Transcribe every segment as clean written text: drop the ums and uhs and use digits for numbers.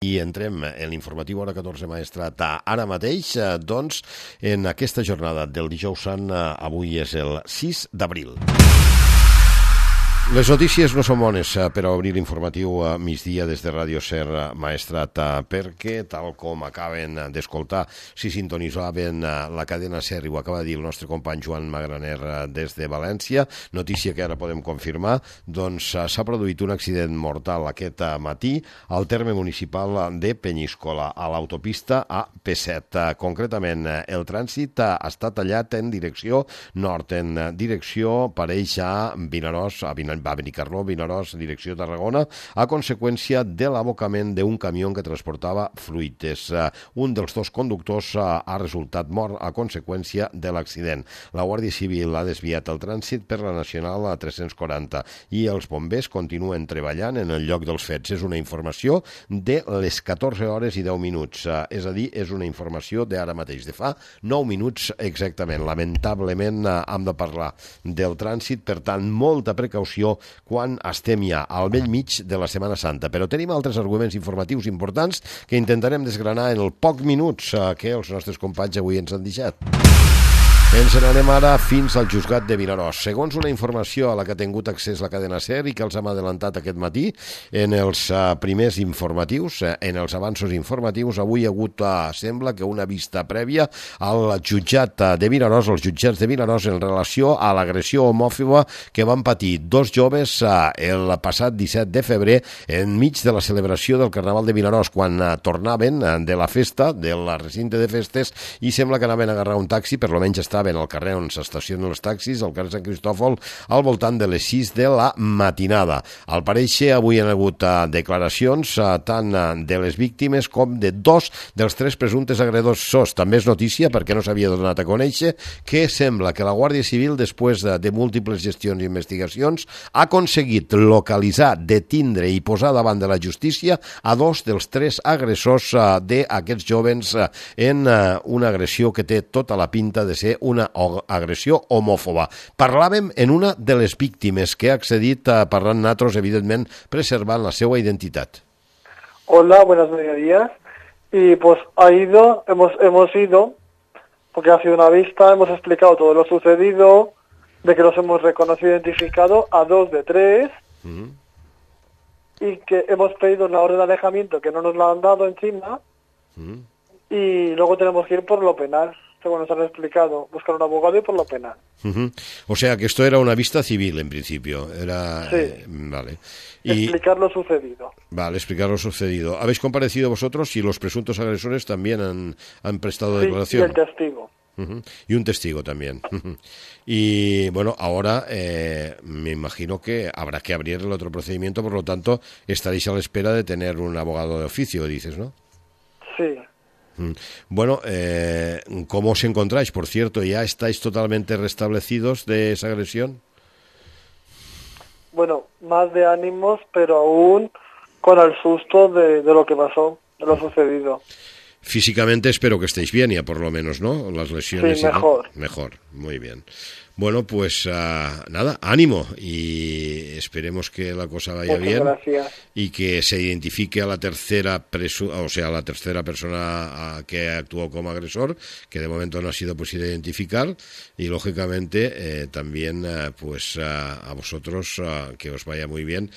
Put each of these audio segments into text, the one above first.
I entrem en l'informatiu Hora 14 Maestrat ara mateix, doncs, en aquesta jornada del dijous sant, avui és el 6 d'abril. Les notícies no són bones per a obrir l'informatiu a migdia des de Ràdio Ser Maestrat, perquè, tal com acaben d'escoltar, si sintonitzaven la cadena Ser, i ho acaba de dir el nostre company Joan Magraner des de València, notícia que ara podem confirmar, doncs s'ha produït un accident mortal aquest matí al terme municipal de Penyíscola, a l'autopista AP7. Concretament, el trànsit està tallat en direcció nord, en direcció pareix a Vinaròs, a Benicarló, Vinaròs, direcció Tarragona, a conseqüència de l'abocament d'un camió que transportava fruites. Un dels dos conductors ha resultat mort a conseqüència de l'accident. La Guàrdia Civil ha desviat el trànsit per la Nacional 340 i els bombers continuen treballant en el lloc dels fets. És una informació de les 14 hores i 10 minuts, és a dir, és una informació d'ara mateix, de fa 9 minuts exactament. Lamentablement hem de parlar del trànsit, per tant, molta precaució quan estem ja al bell mig de la Setmana Santa. Però tenim altres arguments informatius importants que intentarem desgranar en els pocs minuts que els nostres companys avui ens han deixat. Ens n'anem ara fins al Juzgat de Vinaròs. Segons una informació a la que ha tingut accés la cadena Ser i que els hem adelantat aquest matí, en els primers informatius, en els avanços informatius, avui hi ha hagut, sembla que una vista prèvia al jutjat de Vinaròs, als jutjats de Vinaròs, en relació a l'agressió homòfoba que van patir dos joves el passat 17 de febrer enmig de la celebració del Carnaval de Vinaròs, quan tornaven de la festa, del recinte de festes, i sembla que anaven a agarrar un taxi, per lo menys estaven al carrer on s'estacionen els taxis, al carrer Sant Cristòfol, al voltant de les 6 de la matinada. Al parèixer, avui hi ha hagut declaracions tant de les víctimes com de dos dels tres presumptes agressors. També és notícia, perquè no s'havia donat a conèixer, que sembla que la Guàrdia Civil, després de múltiples gestions i investigacions, ha aconseguit localitzar, detindre i posar davant de la justícia a dos dels tres agressors d'aquests jovens en una agressió que té tota la pinta de ser una agressió homòfoba. Parlàvem en una de les víctimes que ha accedit parlant nosaltres, evidentment, preservant la seva identitat. Hola, buenos mediodías. Y pues hemos ido, porque ha sido una vista, hemos explicado todo lo sucedido, de que los hemos reconocido e identificado a dos de tres, y que hemos pedido una orden de alejamiento que no nos la han dado encima, y luego tenemos que ir por lo penal. Según nos han explicado, buscar un abogado y por lo penal. O sea, que esto era una vista civil, en principio. Era, sí. Vale. Explicar lo sucedido. Vale, explicar lo sucedido. ¿Habéis comparecido vosotros y los presuntos agresores también han prestado declaración? Sí, y el testigo. Y un testigo también. Y bueno, ahora me imagino que habrá que abrir el otro procedimiento, por lo tanto, estaréis a la espera de tener un abogado de oficio, dices, ¿no? Sí. Bueno, ¿cómo os encontráis? Por cierto, ¿ya estáis totalmente restablecidos de esa agresión? Bueno, más de ánimos, pero aún con el susto de lo que pasó, de lo sucedido. Físicamente espero que estéis bien, ya por lo menos, ¿no? Las lesiones. Sí, mejor. Mejor, muy bien. Bueno, pues nada, ánimo y esperemos que la cosa vaya bien. Gracias. Y que se identifique a la tercera persona que actuó como agresor, que de momento no ha sido posible identificar, y lógicamente también pues a vosotros que os vaya muy bien.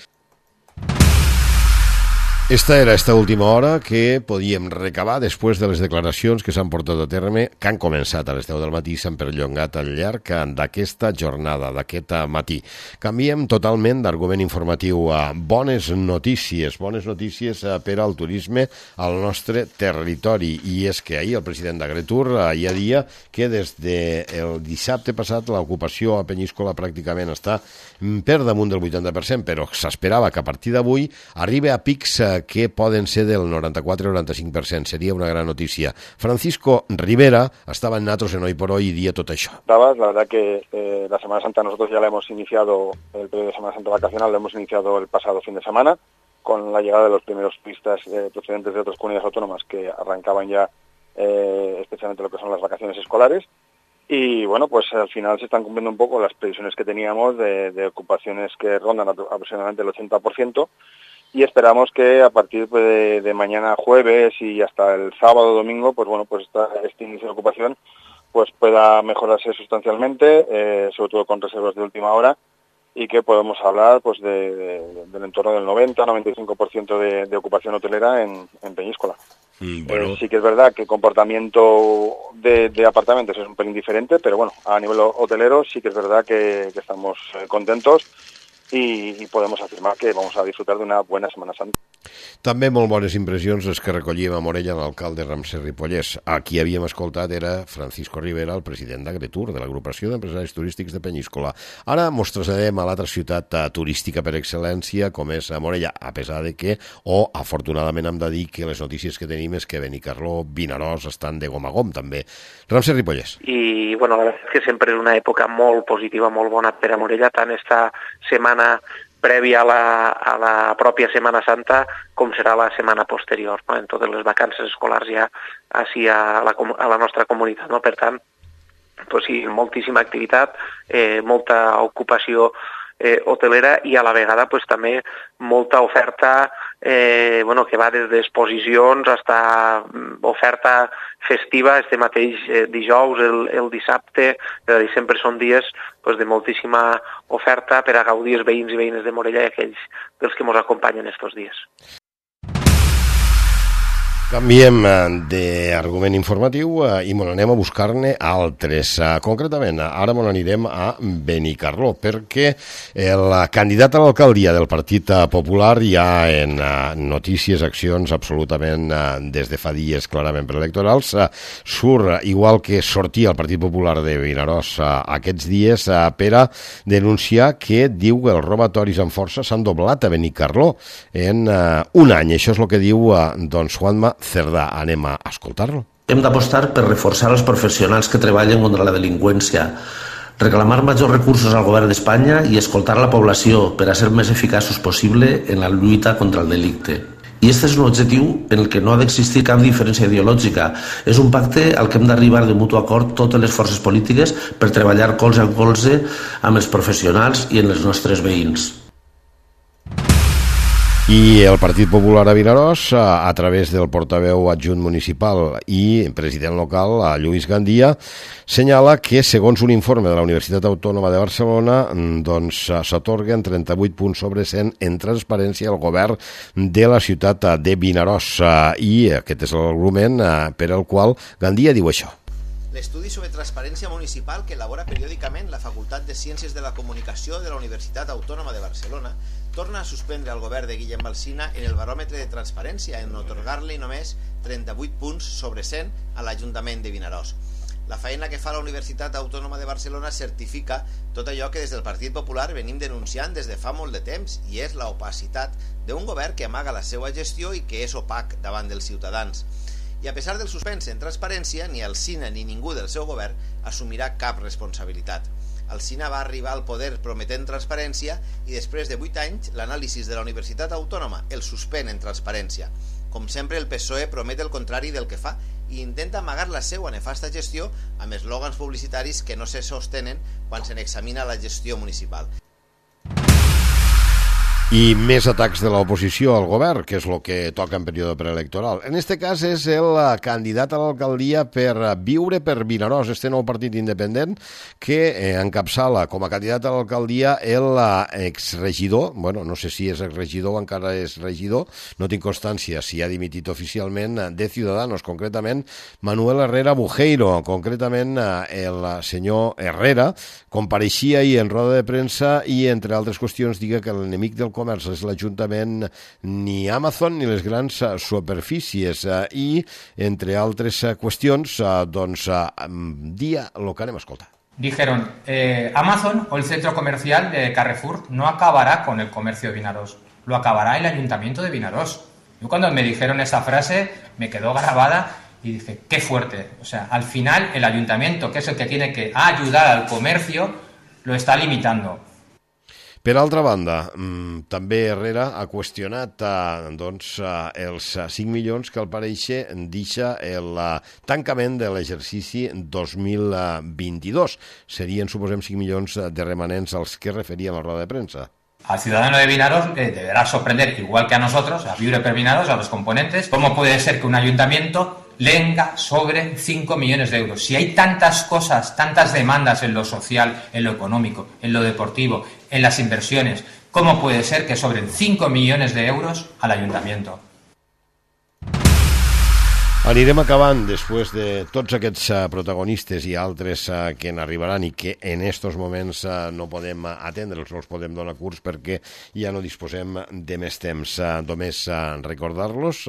Esta era esta última hora que podíem recabar després de les declaracions que s'han portat a terme, que han començat a les 10 del matí i s'han perllongat al llarg d'aquesta jornada, d'aquest matí. Canviem totalment d'argument informatiu a bones notícies per al turisme al nostre territori. I és que ahir el president d'Agretur ja dia que des del dissabte passat l'ocupació a Penyíscola pràcticament està per damunt del 80%, però s'esperava que a partir d'avui arribi a pics que poden ser del 94-95%. Seria una gran notícia. Francisco Rivera estaba en Natros en Hoy por Hoy y día todo eso. La verdad que la Semana Santa nosotros ya la hemos iniciado, el periodo de Semana Santa vacacional lo hemos iniciado el pasado fin de semana, con la llegada de los primeros turistas procedentes de otras comunidades autónomas que arrancaban ya especialmente lo que son las vacaciones escolares. Y bueno, pues al final se están cumpliendo un poco las previsiones que teníamos de ocupaciones que rondan aproximadamente el 80%. y esperamos que a partir de mañana jueves y hasta el sábado o domingo, pues bueno, pues este inicio de ocupación pues pueda mejorarse sustancialmente, sobre todo con reservas de última hora, y que podemos hablar pues del entorno del 90-95% de ocupación hotelera en Peñíscola. Bueno. Sí que es verdad que el comportamiento de apartamentos es un pelín diferente, pero bueno, a nivel hotelero sí que es verdad que estamos contentos i podem afirmar que vamos a disfrutar d'una bona Setmana Santa. També molt bones impressions les que recollíem a Morella l'alcalde Ramsès Ripollès. A qui havíem escoltat era Francisco Rivera, el president d'Agretur, de l'agrupació d'empresaris turístics de Penyíscola. Ara mos traslladem a l'altra ciutat turística per excel·lència, com és a Morella, a pesar de que, afortunadament hem de dir que les notícies que tenim és que Benicarló, Vinaròs estan de gom a gom també. Ramsès Ripollès. I bueno, la veritat és que sempre és una època molt positiva, molt bona per a Morella, tant esta setmana prèvia a la pròpia Setmana Santa com serà la setmana posterior, no? En totes les vacances escolars ja així a la nostra comunitat, no? Per tant, pues sí, moltíssima activitat, molta ocupació hotelera i a la vegada pues, també molta oferta que va des d'exposicions fins a oferta festiva. Este mateix dijous, el dissabte, és a dir, sempre són dies pues, de moltíssima oferta per a gaudir els veïns i veïnes de Morella i aquells dels que ens acompanyen estos dies. Canviem d'argument informatiu i mos anem a buscar-ne altres. Concretament, ara mos anirem a Benicarló, perquè el candidat a l'alcaldia del Partit Popular ja en notícies, accions absolutament des de fa dies clarament preelectorals, surt, igual que sortia el Partit Popular de Vinaròs aquests dies, per a denunciar que diu que els robatoris amb força s'han doblat a Benicarló en un any. Això és el que diu Juanma Cerdà. Anem a escoltar-lo. Hem d'apostar per reforçar els professionals que treballen contra la delinqüència, reclamar majors recursos al govern d'Espanya i escoltar la població per a ser més eficaços possible en la lluita contra el delicte. I aquest és un objectiu en el que no ha d'existir cap diferència ideològica. És un pacte al que hem d'arribar de mutu acord totes les forces polítiques per treballar colze a colze amb els professionals i en els nostres veïns. I el Partit Popular a Vinaròs, a través del portaveu adjunt municipal i president local, Lluís Gandia, senyala que, segons un informe de la Universitat Autònoma de Barcelona, s'atorguen 38 punts sobre 100 en transparència al govern de la ciutat de Vinaròs. I aquest és l'argument per al qual Gandia diu això. L'estudi sobre transparència municipal que elabora periòdicament la Facultat de Ciències de la Comunicació de la Universitat Autònoma de Barcelona torna a suspendre el govern de Guillem Alsina en el baròmetre de transparència en otorgar-li només 38 punts sobre 100 a l'Ajuntament de Vinaròs. La feina que fa la Universitat Autònoma de Barcelona certifica tot allò que des del Partit Popular venim denunciant des de fa molt de temps, i és l'opacitat d'un govern que amaga la seva gestió i que és opac davant dels ciutadans. I a pesar del suspens en transparència, ni Alsina ni ningú del seu govern assumirà cap responsabilitat. Alsina va arribar al poder prometent transparència i després de 8 anys l'anàlisi de la Universitat Autònoma el suspèn en transparència. Com sempre, el PSOE promet el contrari del que fa i intenta amagar la seva nefasta gestió amb eslògans publicitaris que no se sostenen quan se n'examina la gestió municipal. I més atacs de l'oposició al govern, que és el que toca en període preelectoral. En aquest cas és el candidat a l'alcaldia per Viure per Vinaròs, este nou partit independent que encapçala com a candidat a l'alcaldia l'exregidor, bueno, no sé si és exregidor o encara és regidor, no tinc constància si ha dimitit oficialment, de Ciudadanos, concretament Manuel Herrera Bujeiro. Concretament el senyor Herrera compareixia ahir en roda de premsa i, entre altres qüestions, diga que l'enemic del comerç és l'Ajuntament, ni Amazon ni les grans superfícies, i, entre altres qüestions, dia el que anem a escoltar. Dijeron, Amazon o el centro comercial de Carrefour no acabará con el comercio de Vinaròs, lo acabará el Ayuntamiento de Vinaròs. Yo cuando me dijeron esa frase me quedó grabada y dije, qué fuerte. O sea, al final el Ayuntamiento, que es el que tiene que ayudar al comercio, lo está limitando. Per altra banda, també Herrera ha qüestionat els 5 milions que al parèixer deixa el tancament de l'exercici 2022. Serien, suposem, 5 milions de remanents als que referíem a la roda de premsa. Al ciudadano de Vinaros deberá sorprender, igual que a nosotros, a Viure per Vinaros, a los componentes, cómo puede ser que un ayuntamiento lenga sobre 5 millones de euros. Si hay tantas cosas, tantas demandas en lo social, en lo económico, en lo deportivo, en las inversiones, ¿cómo puede ser que sobren 5 millones de euros al ayuntamiento? Anirem acabant després de tots aquests protagonistes i altres que n'arribaran i que en estos moments no podem atendre'ls, no els podem donar curs perquè ja no disposem de més temps. Només recordar-los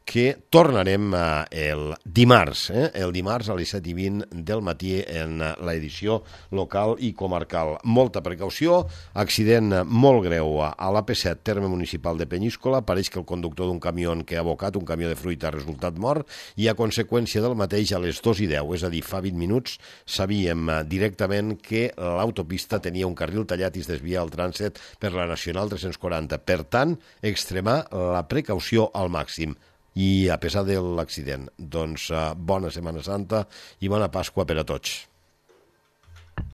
que tornarem el dimarts a les 7:20 del matí en l'edició local i comarcal. Molta precaució, accident molt greu a l'AP7, terme municipal de Penyíscola. Pareix que el conductor d'un camió que ha abocat, un camió de fruita, ha resultat mort, i a conseqüència del mateix a les 2:10, és a dir, fa 20 minuts, sabíem directament que l'autopista tenia un carril tallat i es desvia el trànsit per la Nacional 340. Per tant, extremar la precaució al màxim. I a pesar de l'accident, doncs bona Setmana Santa i bona Pasqua per a tots.